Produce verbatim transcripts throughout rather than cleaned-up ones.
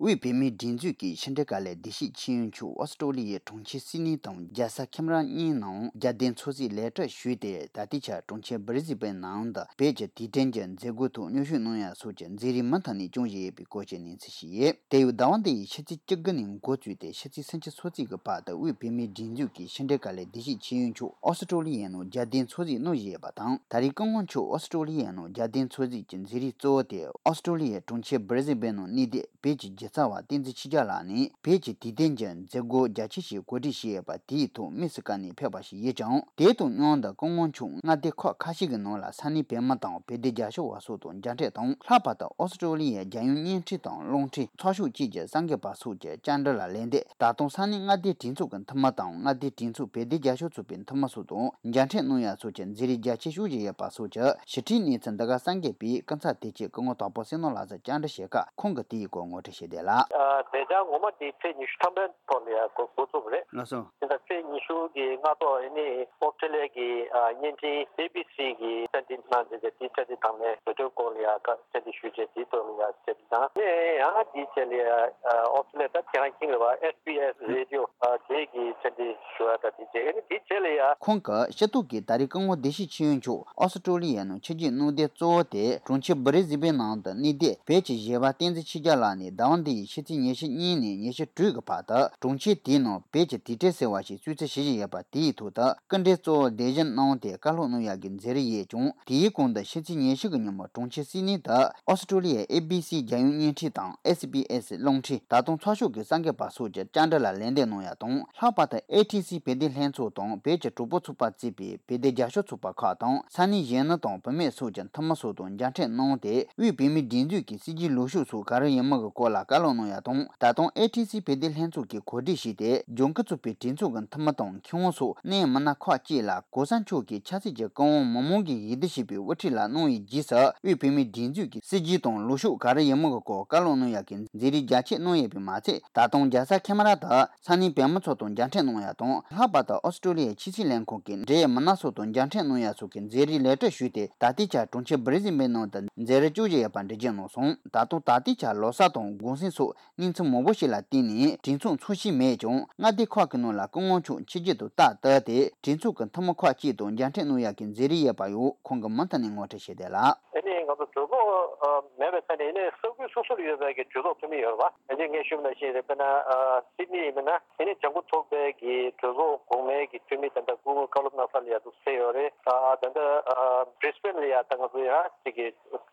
དབུས་བོད་མིའི་སྒྲིག་འཛུགས་ཀྱི་ཕྱི་འབྲེལ་དཀའ་ལས་བདེ་སྐྱིད་ཆོས་དབྱིངས་མཆོག་ཨོ་སི་ཀྲོ་ལི་ཡའི་གྲོང་ཁྱེར་སིད་ནི་དང་རྒྱལ་ས་ཁེམ་ར་གཉིས་ནང་རྒྱལ་དོན་འཚམས་གཟིགས་ལེགས་གྲུབ་ཞུས་ཏེ། ད་ལྟའི་ཆར་གྲོང་ཁྱེར་སྦི་རི་སི་བན་ནང་དུ་བོད་ཀྱི་དུས་དྲན་གྱི་མཛད་སྒོའི་ཐོག་མཉམ་ཞུགས་གནང་ཡག་སོགས་ཀྱི་མཛད་རིམ་མུ་མཐུད་ནས་སྐྱོང་བཞིན་ཡོད་པའི་སྐོར་གྱི་གནས་ཚུལ་ཞིག་ཡོད། དེ་ཡང་ཟླ་བ་འདི་ཡི་ཕྱི་ཚེས་བཅུ་དགུ་ནས་འགོ་བཙུགས་ཏེ་ཕྱི་ཚེས་སུམ་ཅུ་སོ་གཅིག་གི་བར་དུ་དབུས་བོད་མིའི་སྒྲིག་འཛུགས་ཀྱི་ཕྱི་འབྲེལ་དཀའ་ལས་བདེ་སྐྱིད་ཆོས་དབྱིངས་མཆོག་ཨོ་སི་ཀྲོ་ལི་ཡའི་ནང་རྒྱལ་དོན་འཚམས་གཟིགས་གནང་བཞིན་ཡོད་པ་དང་། ད་རེས་སྐུ་ངོ་མཆོག་ཨོ་སི་ཀྲོ་ལི་ཡའི་ནང་རྒྱལ་དོན་འཚམས་གཟིགས་ཀྱི་མཛད་རིམ་གཙོ་བོ་དེ་ཨོ་སི་ཀྲོ་ལི་ཡའི་གྲོང་ཁྱེར་སྦི་རི་སི་བན་ནང་གནས་སྡོད་བོད་ཀྱི་གཞི་རྩ་བ་བསྟན་འཛིན་ཆོས་རྒྱལ་ལགས་ནས་བོད་ཀྱི་དུས་དྲན་གྱི་མཛད་སྒོ་རྒྱ་ཆེ་ཞིག་གོ་སྒྲིག་བྱས་ཡོད་པ་དེའི་ཐོག་དམིགས་སུ་བཀར་ནས་ཕེབས་པ་ཞིག་ཡིན་ཀྱང་། དེ་དང་མཉམ་དུ་སྐུ་ངོ་མཆོག་མངའ་སྡེ་ཁག་ཁ་ཤས་ཀྱི་ནང་ལ་ས་གནས་བོད་མི་དང་བོད་དོན་རྒྱབ་སྐྱོར་བ་སོགས་དང་མཇལ་འཕྲད་དང་། ལྷག་པར་དུ་ཨོ་སི་ཀྲོ་ལི་ཡའི་རྒྱལ་ཡོངས་བརྙན་འཕྲིན་དང་རླུང་འཕྲིན་ཚགས་ཤོག་བཅས་ཀྱི་གསར་འགོད་པ་སོགས་ཀྱི་བཅར་འདྲི་ལ་ལན་འདེབས། ད་དུང་ས་གནས་མངའ་སྡེའི་གྲོས་ཚོགས་ཀྱི་འཐུས་མི་དང་མངའ་སྡེའི་གྲོས་ཚོགས་བོད་དོན་རྒྱབ་སྐྱོར་ཚོགས་པའི་འཐུས་མི་སོགས་དང་མཇལ་འཕྲད་གནང་ཡག་སོགས་ཀྱི་མཛད་རིམ་རྒྱ་ཆེ་ཤོས་ཤིག་ཡོད་པ་སོགས་ཀྱི་ཞིབ་ཕྲའི་གནས་ཚུལ་འདི་ག་གསར་འགོད་པས་སྐུ་ཚབ་དོན་གཅོད་སྐུ་ངོ་དྭགས་པོ་བསོད་ནམས་ལགས་སུ་བཅར་འདྲི་བྱེད་སྐབས་ཁོང་གིས་དེའི་སྐོར་ངོ་སྤྲོད་བྱས་བསྡད་ལ། ཨ། དེ་ཅང་ངོ་མ་དེ་ཚེས་ཉི་ཤུ་ཐམ་པའི་ཐོག་ལ་ཡང་འགོ་འགོ་བཙུགས་པ་རེད། ལགས་སོ། དེ་ད་ཚེས་ཉི་ཤུ་གི་སྔ་དྲོ་ཨ་ནི་ཨོ་སི་ཀྲོ་ལི་ཡ་གི་ཨ་བརྙན་འཕྲིན་ཨེ་བི་སི་གི་བཅར་འདྲི་གནང་རྗེས་དེ་བཅར་འདྲི་དང་ལེན་བོད་དོན་སྐོར་ལ་ཡང་བཅར་འདྲི་ཞུས་རྗེས་དེའི་ཐོག་ལ་ཡང་བཅར་འདྲི་གནང་ནས། ཡང་དེའི་རྗེས་ལ་ཡང་ཨོ་སི་ཀྲོ་ལི་ཡ་ད་དེ་རང་ཁྱིམ་རེད་བ། ཨེ་སི་བི་ཨེ་སི་རེ་ཌི་ཡོ་ཨ་དེ་གི་བཅར་འདྲི་ཞུ་བ་དང་དེ་རྗེས་ཨ་ནི་དེའི་རྗེས་ལ་ཡང་། ཁོང་གིས་སྤྱི་ཚོགས་ཀྱི་ད་རེས་སྐུ་ངོ་བདེ་སྐྱིད་ཆོས་དབྱིངས་མཆོག་ཨོ་སི་ཀྲོ་ལི་ཡའི་ནང་ཆིབས་བསྒྱུར་གནང་དོན་གཙོ་བོ་དེ་གྲོང་ཁྱེར་སྦི་རི་སི་བན་ནང་དུ་གནས་སྡོད་བོད་ཀྱི་གཞས་པ་བསྟན་འཛིན་ཆོས་རྒྱལ་ལགས་ནས་ཟླ་བ་འདི་ཡི་ཕྱི་ཚེས་ཉི་ཤུ་གཉིས་ནས་ཉི་ཤུ་དྲུག་གི་བར་དུ་གྲོང་ཁྱེར་དེའི་ནང་བོད་ཀྱི་དུས་དྲན་ཟེར་བ་ཞིག་གསོལ་ཚིགས་ཞུ་བཞིན་ཡོད་པ་དེའི་ཐོག་ཏུ་སྐུ་མགྲོན་གཙོ་བོ་གདན་ཞུ་གནང་སྟེ་བཀའ་སློབ་གནང་ཡག་གི་མཛད་རིམ་ཡོད་ཀྱང་། དེའི་གོང་དུ་ཕྱི་ཚེས་ཉི་ཤུ་གི་ཉིན་མོ་གྲོང་ཁྱེར་སིད་ནི་དུ་ཨོ་སི་ཀྲོ་ལི་ཡའི་ཨེ་བི་སི་རྒྱལ་ཡོངས་བརྙན་འཕྲིན་དང་ཨེ་སི་བི་ཨེ་སི་རླུང་འཕྲིན། ད་དུང་ཚགས་ཤོག་གི་གསར་འགོད་པ་སོགས་ཀྱི་བཅར་འདྲི་ལ་ལན་འདེབས་གནང་ཡག་དང་། ལྷག་པར་དུ་ཨེ་ཐི་སི་བོད་དོན་ལྷན་ཚོགས་དང་བོད་ཀྱི་གྲོགས་པོ་ཚོགས་པ་གཙོས་པའི་བོད་དོན་རྒྱབ་སྐྱོར་ཚོགས་པ་ཁག་དང་། ས་གནས་གཞོན་ནུ་དང་བུད་མེད་སོགས་ཀྱི་འཐུས་མི་སོགས་དང་མཇལ་འཕྲད་གནང་སྟེ། དབུས་བོད་མིའི་སྒྲིག་འཛུགས་ཀྱི་སྲིད་ཇུས་ལངས་ཕྱོགས་སོགས་ག་རེ་ཡིན་མིན་གྱི་སྐོར་ལ་བཀའ་སློབ་གནང་ཡག་དང་། ད་དུང་ཨེ་ཐི་སི་བོད་དོན་ལྷན་ཚོགས་ཀྱིས་གོ་སྒྲིག་བྱས་ཏེ་ལྗང་ཁུ་ཚོགས་པའི་གྲོས་ཚོགས་ཀྱི་འཐུས་མི་དང་མཁས་དབང་སོགས་གནད་ཡོད་མི་སྣ་ཁག་ཅིག་ལ་གོང་ས་མཆོག་གིས་ཆབ་སྲིད་ཀྱི་བཀའ་དབང་མི་མང་གིས་ཡིད་བསྡུ་བྱས་པའི་དབུ་ཁྲིད་ལ་གནང་བའི་རྗེས་སུ། དབུས་བོད་མིའི་སྒྲིག་འཛུགས་ཀྱི་སྲིད་ཇུས་དང་ལངས་ཕྱོགས་ག་རེ་ཡིན་མིན་གྱི་སྐོར་བཀའ་སློབ་གནང་ཡག་གི་མཛད་རིམ་རྒྱ་ཆེ་གནང་ཡོད་པས་མ་ཚད། ད་དུང་རྒྱལ་ས་ཁེ་མ་ར་དུ་ས་གནས་བོད་མི་ཚོ་དང་མཇལ་འཕྲད་གནང་ཡག་དང་། ལྷག་པར་དུ་ཨོ་སི་ཀྲོ་ལི་ཡའི་ཕྱི་སྲིད་ལས་ཁུངས་ཀྱི་འབྲེལ་ཡོད་མི་སྣ་སོགས་དང་མཇལ་འཕྲད་གནང་ཡག་སོགས་ཀྱི་མཛད་རིམ་ལེགས་གྲུབ་ཞུས་ཏེ། ད་ལྟའི་ཆར་གྲོང་ཁྱེར་སྦི་རི་སི་བན་ནང་དུ་མཛད་རིམ་བསྐྱོད་བཞིན་ཡོད་པ་འགྲེལ་བརྗོད་གནང་སོང་། ད་དུང་ད་ལྟའི་ཆར་ལོ་གསར་དང་གུང་སེང་སོགས་གནས་ཚུལ་མང་པོ་ཞིག་ལ་བརྟེན་ནས་གྲོས་ཚོགས་འཚོགས་བཞིན་མེད་ཀྱང་། མངའ་སྡེ་ཁག་གི་ནང་ལ་སྐུ་ངོ་མཆོག་ཆིབས་བསྒྱུར་དུ་ཏག་ཏག་སྟེ་གྲོས་ཚོགས་ཀྱི་འཐུས་མི་ཁག་ཅིག་དང་མཇལ་འཕྲད་གནང་ཡག་གི་མཛད་རིམ་ཡོད་པ་ཡང་ཁོང་གིས་མུ་མཐུད་ནས་ངོ་སྤྲོད་བྱས་བསྡད་ལ། ཨ་ནི་ང་ཚོ་གྲོས་ཚོགས་ཨ་མེད་པའི་ཆ་ནས་ཨ་ནི་ས་ཁུལ་སོ་སོར་ཡོད་པའི་གི་གྲོས་ཚོགས་འཐུས་མི་ཡོད་རེད་བ། ཨ་ནི་ངས་ཞུས་པ་ནང་བཞིན་རེད། དཔེར་ན་ཨ་སིད་ནི་ཡིན་ན་ཨ་ནི་ལྗང་ཁུ་ཚོགས་པའི་གི་གྲོས་ཚོགས་གོང་མའི་གི་འཐུས་མི་ད་ལྟ་སྐུ་ངོ་བཀའ་སློབ་གནང་ས་ལ་ཡ་འདུག་སེ་ཡོད་རེད། ཨ་ད་ལྟ་ཨ་བྷི་རི་སི་བྷེན་ལ་ཡ་ད་ང་ཚོ་ཡང་གཅིག་གི་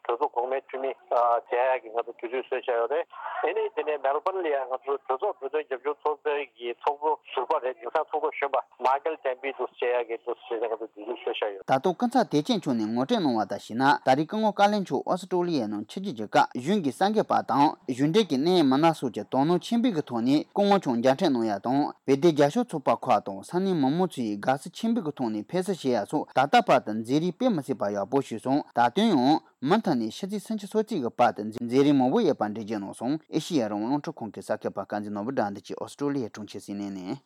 གྲོས་ཚོགས་གོང་མའི་འཐུས་མི་ཨ་མཇལ་ཡག་གི་ང་ཚོ་དུས་ཚོད་བཟོས་བཞག་ཡོད་རེད། ཨ་ནི་དེ་ནས་མེལ་བྷོན་ལ་ཡ་ང་ཚོ་གྲོས་ཚོགས་བོད་དོན་རྒྱབ་སྐྱོར་ཚོགས་པའི་གི་ཚོགས་གཙོ་ཟུར་པ་རེད། དེང་སང་ཚོགས་གཙོ་གཞོན་པ་མཱ་ཀལ་ཏེན་པི་འདུག་སེ་མཇལ་ཡག་གི་འདུག་སེ་ང་ཚོ་དུས་ཚོད་བཟོས་བཞག་ཡོད། ད་དུང་སྐུ་ཚབ་བདེ་ཆེན་མཆོག་ནས་ངོ་སྤྲོད་གནང་བ་ལྟར་བྱས་ན། ད་རེས་སྐུ་ངོ་བཀའ་བློན་མཆོག་ཨོ་སི་ཀྲོ་ལི་ཡའི་ནང་ཆིབས་བསྒྱུར་གྱི་སྐབས་གཞུང་གི་གསར་འགོད་པ་དང་གཞུང་འབྲེལ་གྱི་གནད་ཡོད་མི་སྣ་སོགས་ཀྱིས་དོ་སྣང་ཆེན་པོའི་གི་ཐོག་ནས་སྐུ་ངོ་མཆོག་མཇལ་འཕྲད་གནང་ཡག་དང་། བོད་དོན་རྒྱབ་སྐྱོར་ཚོགས་པ་ཁག་དང་ས་གནས་མི་མང་ཚོས་དགའ་བསུ་ཆེན་པོའི་གི་ཐོག་ནས་ཕེབས་བསུ་བྱེད་ཡག་སོགས་ད་ལྟ་བར་དུ་མཛད་རིམ་དཔེ་མི་སྲིད་པ་ཡག་པོ་ཞིག་སོང་། ད་དུང་ཡང་མུ་མཐུད་ནས་ཕྱི་ཚེས་སུམ་ཅུ་སོ་གཅིག་གི་བར་དུ་མཛད་རིམ་མང་པོ་ཡོད་པ་འགྲེལ་བརྗོད་གནང་སོང་། ཨེ་ཤེ་ཡ་རང་དབང་རླུང་འཕྲིན་ཁང་གི་གསར་འགོད་པ་དཀར་མཛེས་ནོར་བུ་དགྲ་འདུལ་གྱིས་ཨོ་སི་ཀྲོ་ལི་ཡའི་གྲོང་ཁྱེར་སིད་ནི་ནས།